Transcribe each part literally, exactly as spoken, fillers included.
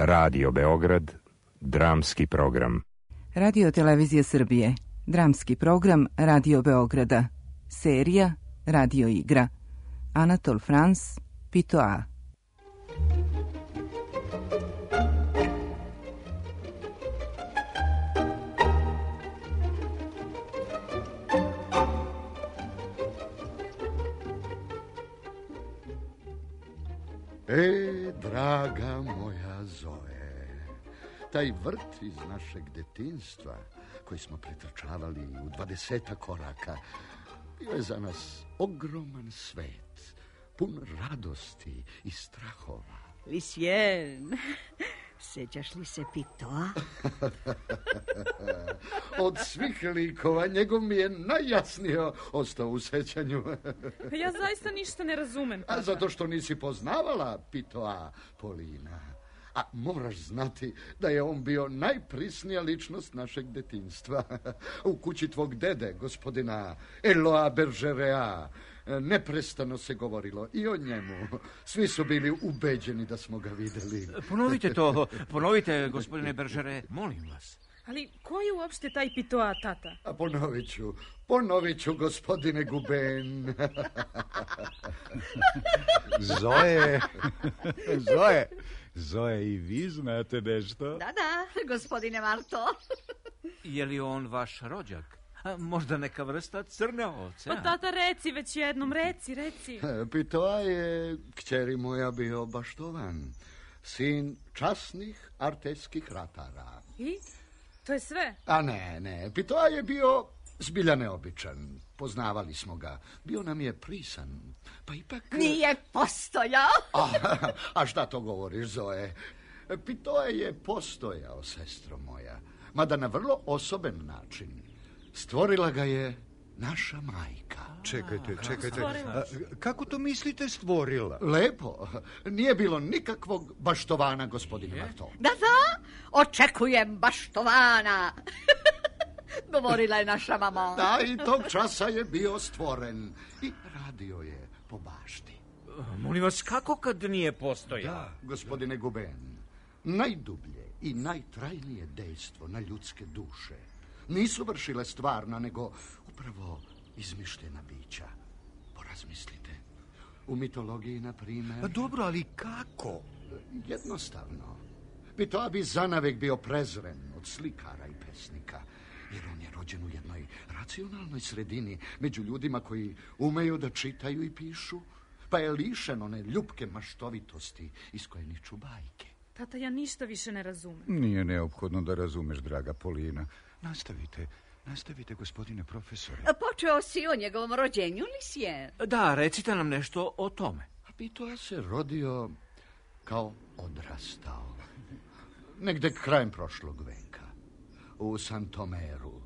Radio Beograd, dramski program. Radio Televizije Srbije, dramski program Radio Beograda, serija Radio igra. Anatol Frans, Pitoa. E, draga moja Zoe, taj vrt iz našeg detinjstva koji smo pretrčavali u dvadesetak koraka bio je za nas ogroman svet, pun radosti i strahova. Lisjen, sećaš li se Pitoa? Od svih likova njegov mi je najjasnije ostao u sećanju. Ja zaista ništa ne razumem. A zato što nisi poznavala Pitoa, Polina. A moraš znati da je on bio najprisnija ličnost našeg detinjstva. U kući tvog dede, gospodina Eloa Bergerea, neprestano se govorilo i o njemu. Svi su bili ubeđeni da smo ga videli. Ponovite to, ponovite, gospodine Bergere, molim vas. Ali ko je uopšte taj Pitoa, tata? A ponovit ću, ponovit ću, gospodine Guben. Zoe, Zoe, Zoe, i vi znate nešto? Da, da, gospodine Marto. Je li on vaš rođak? A možda neka vrsta crne ovce? Pa tata, reci već jednom, reci, reci. Pitoa je, kćeri moja, bio baštovan. Sin časnih arteskih ratara. I? To je sve? A ne, ne, Pitoa je bio zbilja neobičan. Poznavali smo ga. Bio nam je prisan. Pa ipak... Nije postojao. A, a šta to govoriš, Zoe? Pitoa je postojao, sestro moja. Mada na vrlo osoben način. Stvorila ga je naša majka. Čekajte, čekajte. A, kako to mislite stvorila? Lepo. Nije bilo nikakvog baštovana, gospodine Marto. Da, da, očekujem baštovana. Govorila je naša mama. Da, i tog časa je bio stvoren. I radio je po bašti. Molim vas, kako kad nije postojao? Da, gospodine Guben, najdublje i najtrajnije dejstvo na ljudske duše nisu vršile stvarna, nego upravo izmišljena bića. Porazmislite. U mitologiji, na primjer... A dobro, ali kako? Jednostavno. Pitoa bi zanavek bio prezren od slikara i pesnika, jer on je rođen u jednoj racionalnoj sredini među ljudima koji umeju da čitaju i pišu, pa je lišen one ljupke maštovitosti iz koje niču bajke. Tata, ja ništa više ne razumem. Nije neophodno da razumeš, draga Polina. Nastavite, nastavite, gospodine profesore. Počeo si o njegovom rođenju, Lisjen? Da, recite nam nešto o tome. A Pitoa se rodio kao odrastao. Negde krajem prošlog veka. U Santomeru.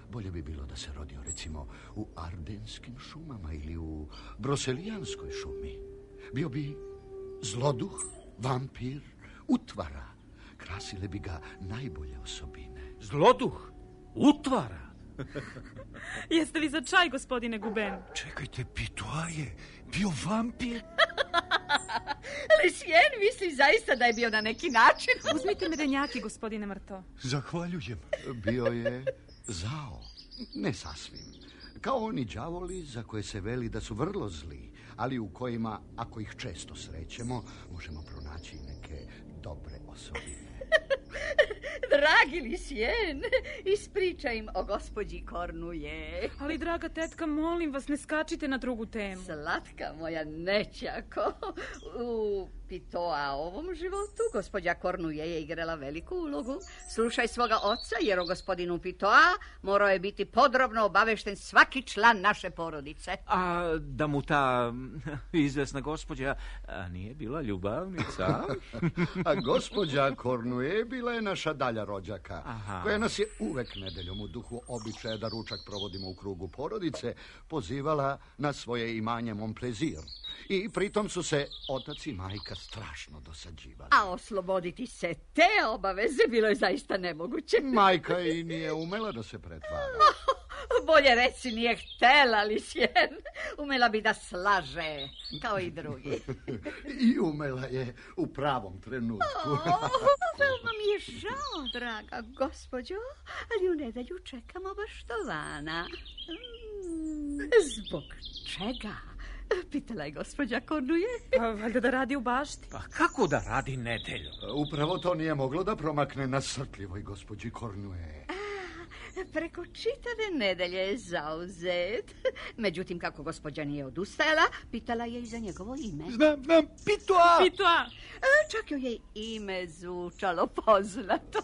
Bolje bi bilo da se rodio, recimo, u Ardenskim šumama ili u Broselijanskoj šumi. Bio bi zloduh, vampir, utvara. Krasile bi ga najbolje osobine. Zloduh? Utvara? Jeste li za čaj, gospodine Guben? Čekajte, Pitoa je bio vampir? Lisjen misli zaista da je bio na neki način. Uzmite medenjaki, gospodine Marto. Zahvaljujem. Bio je zao. Ne sasvim. Kao oni đavoli za koje se veli da su vrlo zli, ali u kojima, ako ih često srećemo, možemo pronaći neke dobre osobine. Dragi Lisjen, ispričaj im o gospođi Kornuje. Ali, draga tetka, molim vas, ne skačite na drugu temu. Slatka moja nećako. U Pitoa ovom životu gospođa Kornuje je igrala veliku ulogu. Slušaj svoga oca, jer o gospodinu Pitoa morao je biti podrobno obavešten svaki član naše porodice. A da mu ta izvesna gospođa a nije bila ljubavnica? A gospođa Kornuje bila je naša dalja rođaka, Aha. koja nas je uvek nedeljom u duhu običaja da ručak provodimo u krugu porodice pozivala na svoje imanje Montplaisir. I pritom su se otac i majka strašno dosađivali. A osloboditi se te obaveze bilo je zaista nemoguće. Majka i nije umela da se pretvara. Bolje reci, nije htela li sjen. Umela bi da slaže, kao i drugi. I umela je u pravom trenutku. O, veoma mi je žao, draga gospođo, ali u nedelju čekamo baštovana. Mm, zbog čega? Pitala je gospođa Kornuje. Pa valjda da radi u bašti. Pa kako da radi nedelju? Upravo to nije moglo da promakne na srpljivoj gospođi Kornuje. Preko čitave nedelje je zauzet. Međutim, kako gospođa nije odustajala, pitala je i za njegovo ime. Znam, znam, Pitoa! Pitoa! Čak joj je ime zvučalo poznato.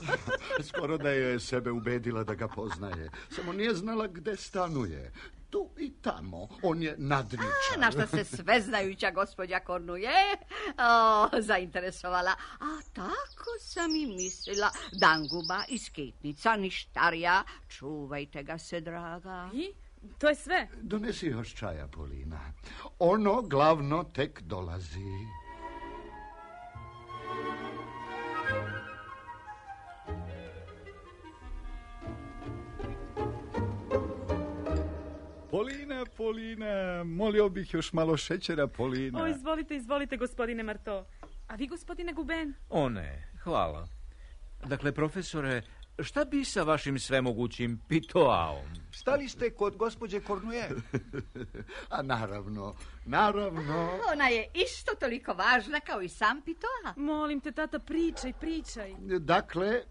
Skoro da je sebe ubedila da ga poznaje. Samo nije znala gde stanuje. Tu i tamo. On je nadničan. Na što se sveznajuća gospođa Kornuje o, zainteresovala. A tako sam i mislila. Danguba i skitnica, ništarija. Čuvajte ga se, draga. I? To je sve? Donesi još čaja, Polina. Ono glavno tek dolazi. Polina, Polina, molio bih još malo šećera, Polina. O, izvolite, izvolite, gospodine Marto. A vi, gospodine Guben? O ne, hvala. Dakle, profesore, šta bi sa vašim svemogućim Pitoaom? Stali ste kod gospođe Kornuje? A naravno, naravno. Ona je isto toliko važna kao i sam Pitoa. Molim te, tata, pričaj, pričaj. Dakle,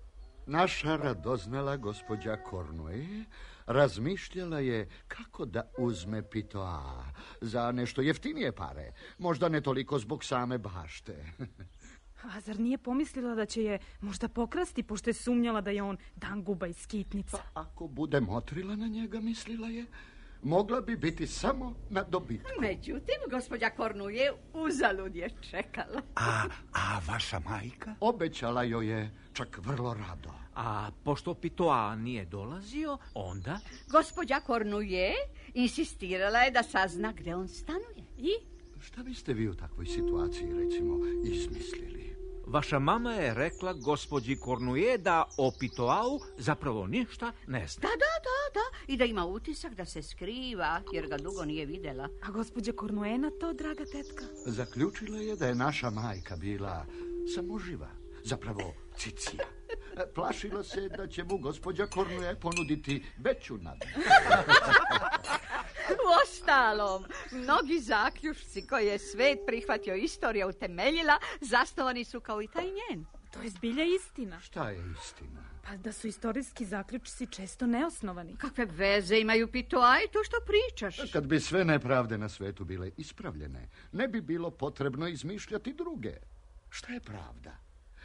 naša radoznala gospođa Kornuje razmišljala je kako da uzme Pitoa za nešto jeftinije pare. Možda ne toliko zbog same bašte. A zar nije pomislila da će je možda pokrasti, pošto je sumnjala da je on Danguba i skitnica? Pa ako bude motrila na njega, mislila je, mogla bi biti samo na dobitku. Međutim, gospođa Kornuje uzalud je čekala. A, a vaša majka? Obećala joj je čak vrlo rado. A pošto Pitoa nije dolazio, onda... Gospođa Kornuje insistirala je da sazna gde on stanuje. I? Šta biste vi u takvoj situaciji, recimo, izmislili? Vaša mama je rekla gospođi Kornuje da o Pitoau zapravo ništa ne zna. Da, da, da, da. I da ima utisak da se skriva, jer ga dugo nije videla. A gospođa Kornuje na to, draga tetka? Zaključila je da je naša majka bila samoživa, zapravo cicija. Plašila se da će mu gospođa Kornuje ponuditi veću nadnicu. U ostalom, mnogi zaključci koje je svet prihvatio, istorija utemeljila, zasnovani su kao i taj njen. To je zbilja istina. Šta je istina? Pa da su istorijski zaključci često neosnovani. Kakve veze imaju Pitoa i to što pričaš? Kad bi sve nepravde na svetu bile ispravljene, ne bi bilo potrebno izmišljati druge. Šta je pravda?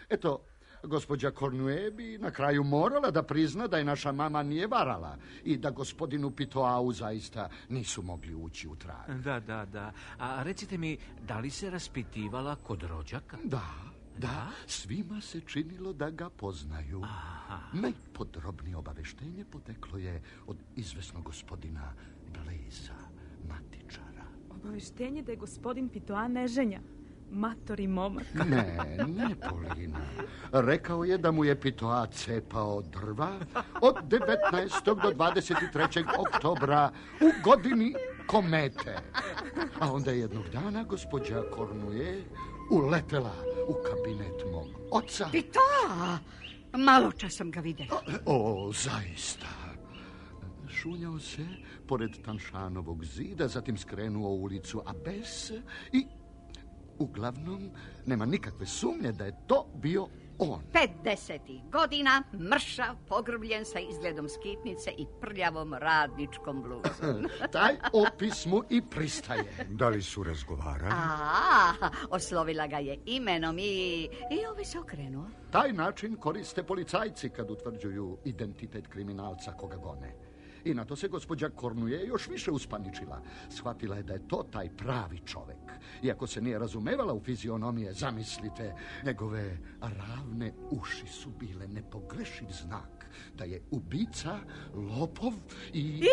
Eto, gospođa Kornuje bi na kraju morala da prizna da je naša mama nije varala i da gospodinu Pitoau zaista nisu mogli ući u trag. Da, da, da. A recite mi, da li se raspitivala kod rođaka? Da, da, svima se činilo da ga poznaju. Aha. Najpodrobnije obaveštenje poteklo je od izvesnog gospodina Bleza, matičara. Obaveštenje da je gospodin Pitoa neženja. Matori momak. Ne, ne, Polina. Rekao je da mu je Pitoa cepao drva od devetnaestog do dvadeset trećeg oktobra u godini komete. A onda je jednog dana gospođa Kornuje uletela u kabinet mog oca. Pitoa! Malo čas sam ga videla. O, zaista. Šunjao se pored Tanšanovog zida, zatim skrenuo u ulicu Abes i uglavnom nema nikakve sumnje da je to bio on. Pedesetih godina, mršav, pogrbljen sa izgledom skitnice i prljavom radničkom bluzom. Taj opis mu i pristaje. Da li su razgovarali? A, oslovila ga je imenom i, i ovaj se okrenuo. Taj način koriste policajci kad utvrđuju identitet kriminalca koga gone. I na to se gospođa Kornuje još više uspaničila. Shvatila je da je to taj pravi čovek. Iako se nije razumevala u fizionomije, zamislite, njegove ravne uši su bile nepogrešiv znak da je ubica, lopov i... I,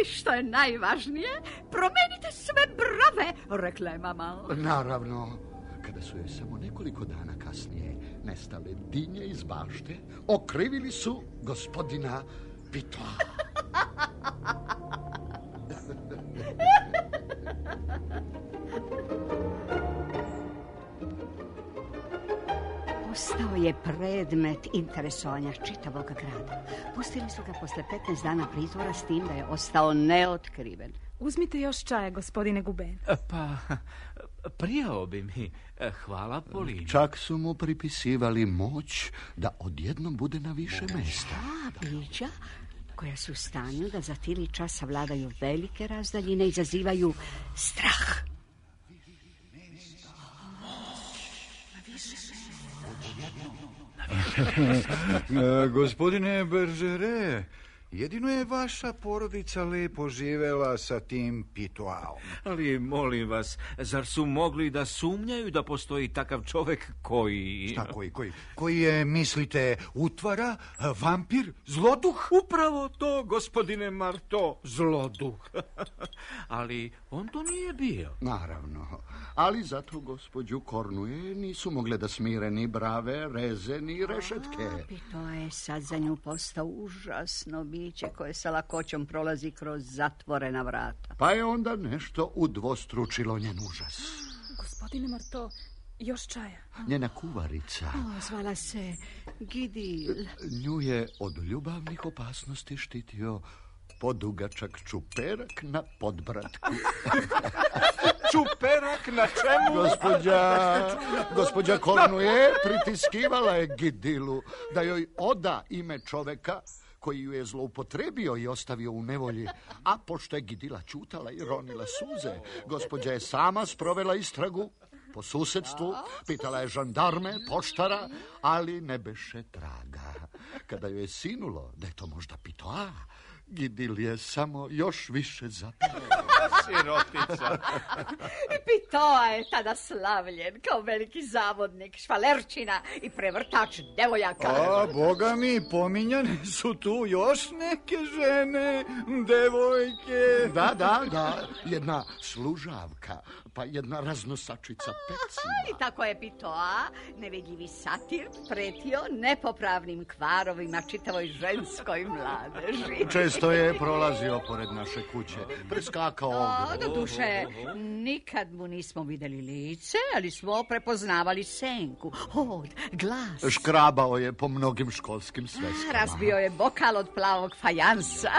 i što je najvažnije, promenite sve brave, rekla je mama. Naravno, kada su joj samo nekoliko dana kasnije nestale dinje iz bašte, okrivili su gospodina Pitoa. Postao je predmet interesovanja čitavog grada. Pustili su ga posle petnaest dana pritvora s tim da je ostao neotkriven. Uzmite još čaja, gospodine Guben. Pa, prijao bi mi. Hvala, Polini. Čak su mu pripisivali moć da odjednom bude na više mesta. A, bića koja su u stanju da za tili časa vladaju velike razdaljine i izazivaju strah. Gospodine Beržere, jedino je vaša porodica lepo živela sa tim Pitoaom. Ali, molim vas, zar su mogli da sumnjaju da postoji takav čovek koji... Šta koji, koji? Koji je, mislite, utvara, vampir, zloduh? Upravo to, gospodine Marto, zloduh. Ali on to nije bio. Naravno, ali zato gospođu Kornuje nisu mogle da smire ni brave, reze, ni rešetke. A, Pito je sad za nju postao užasno biće koje sa lakoćom prolazi kroz zatvorena vrata. Pa je onda nešto udvostručilo njen užas. Gospodine Marto, još čaja. Njena kuvarica. O, zvala se Gidil. Nju je od ljubavnih opasnosti štitio podugačak čuperak na podbratku. Čuperak na čemu? Gospođa, gospođa Kornuje pritiskivala je Gidilu da joj oda ime čoveka koji ju je zloupotrebio i ostavio u nevolji. A pošto je Gidila ćutala i ronila suze, gospođa je sama sprovela istragu po susedstvu, pitala je žandarme, poštara, ali ne beše traga. Kada joj je sinulo da je to možda Pitoa, Gidil je samo još više zapeo. Sirotica. Pitoa je tada slavljen kao veliki zavodnik, švalerčina i prevrtač devojaka. A, boga mi, pominjane su tu još neke žene, devojke. Da, da, da, jedna služavka, pa jedna raznosačica pecima. I tako je Pitoa, nevidljivi satir, pretio nepopravnim kvarovima čitavoj ženskoj mladeži. Često je prolazio pored naše kuće, preskakao O, do duše, nikad mu nismo videli lice, ali smo prepoznavali senku, hod, glas. Škrabao je po mnogim školskim sveskama. Razbio je bokal od plavog fajansa.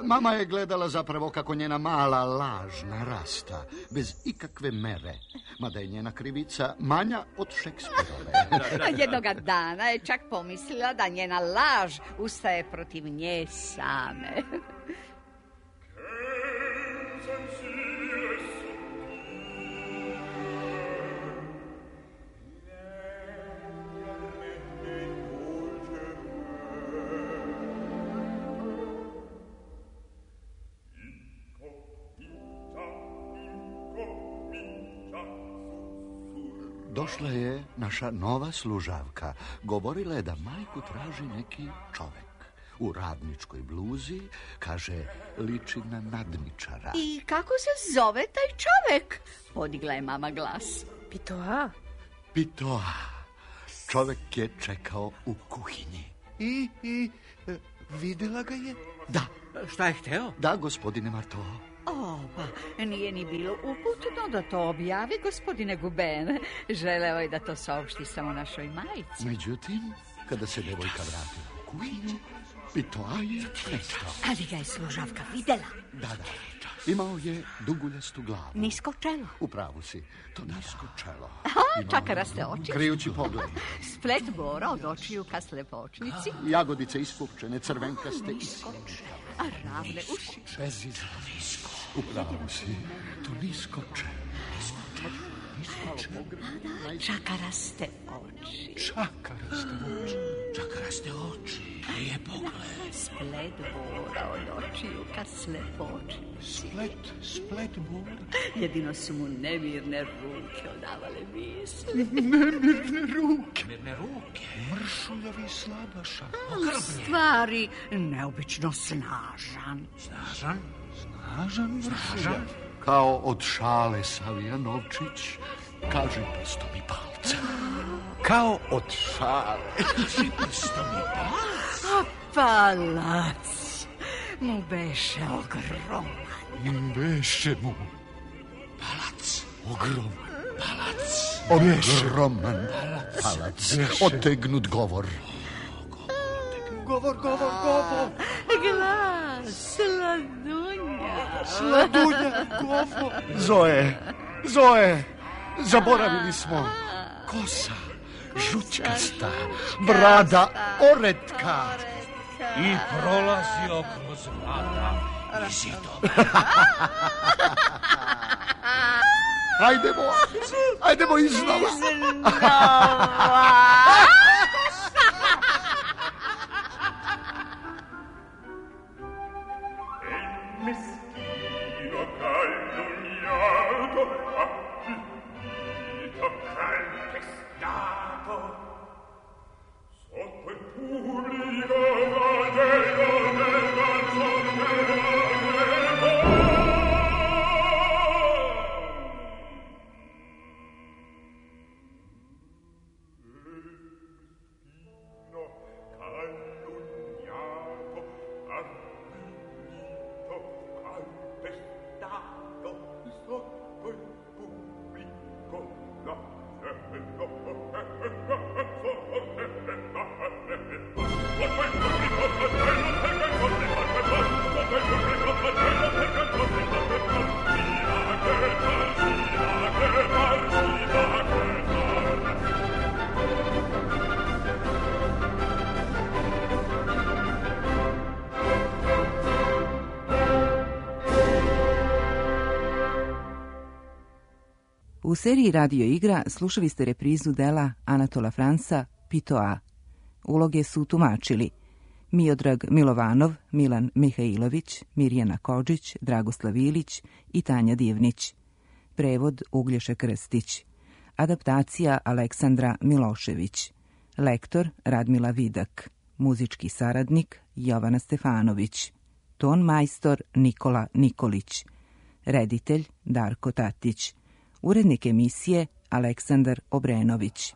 Mama je gledala zapravo kako njena mala laž narasta, bez ikakve mere, mada je njena krivica manja od Šekspirove. Jednoga dana je čak pomislila da njena laž ustaje protiv nje same. Došla je naša nova služavka. Govorila je da majku traži neki čovek. U radničkoj bluzi, kaže, liči na nadničara. I kako se zove taj čovek? Podigla je mama glas. Pitoa? Pitoa. Čovek je čekao u kuhinji. I, i, e, videla ga je? Da. Šta je hteo? Da, gospodine Marto. O, pa nije ni bilo uputno da to objavi, gospodine Guben. Želeo je da to saopšti samo našoj majici. Međutim, kada se devojka vratila u kuhinju, Pitoa je nestao. Ali ga je služavka videla. Da, da. Imao je duguljastu glavu. Nisko čelo. U pravu si, to nisko čelo. Aha, čakaraste oči. Krijući pogled. Splet bora od očiju ka slepočnici. Jagodice ispupčene, crvenkaste i skočne. A ravne uši. Bezizno nisko. U pravu si, to nisko čelo. Nisko čelo. Čakaraste oči. Čakaraste oči. Čakaraste oči. Je pogled. Splet bora od očiju ka slepočnici. Splet, splet bora. Jedino su mu nemirne ruke odavale misli. Nemirne ruke. Nemirne ruke. Mršuljavi slabaša. U stvari, neobično snažan. Snažan? Snažan mršuljav. Kao od šale Savija Novčić, kaži prstom i palcem. Kao od šale. Kaži prstom i palcem. A palac mu beše ogroman. Beše mu palac ogroman. Palac Ogroman palac, otegnut govor. Govor, govor, govor. Glas, sladunja. Sladunja, govor. Zoe, Zoe, zaboravili smo. Kosa, žučkasta, brada oretka. I prolazio kroz vrata i zido. Hajdemo, hajdemo iznova. Meschino calunniato, afflitto, calpestato, sotto il pubblico flagello del canzonero. U seriji Radio igra slušali ste reprizu dela Anatola Fransa Pitoa. Uloge su tumačili Miodrag Milovanov, Milan Mihajlović, Mirjana Kodžić, Dragoslav Ilić i Tanja Divnić. Prevod Uglješa Krstić. Adaptacija Aleksandra Milošević. Lektor Radmila Vidak. Muzički saradnik Jovana Stefanović. Ton majstor Nikola Nikolić. Reditelj Darko Tatić. Urednik emisije Aleksandar Obrenović.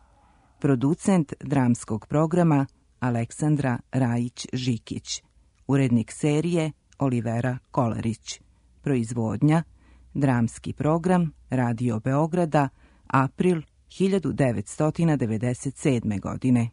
Producent dramskog programa Aleksandra Rajić-Žikić. Urednik serije Olivera Kolarić. Proizvodnja Dramski program Radio Beograda, april hiljadu devetsto devedeset sedme. godine.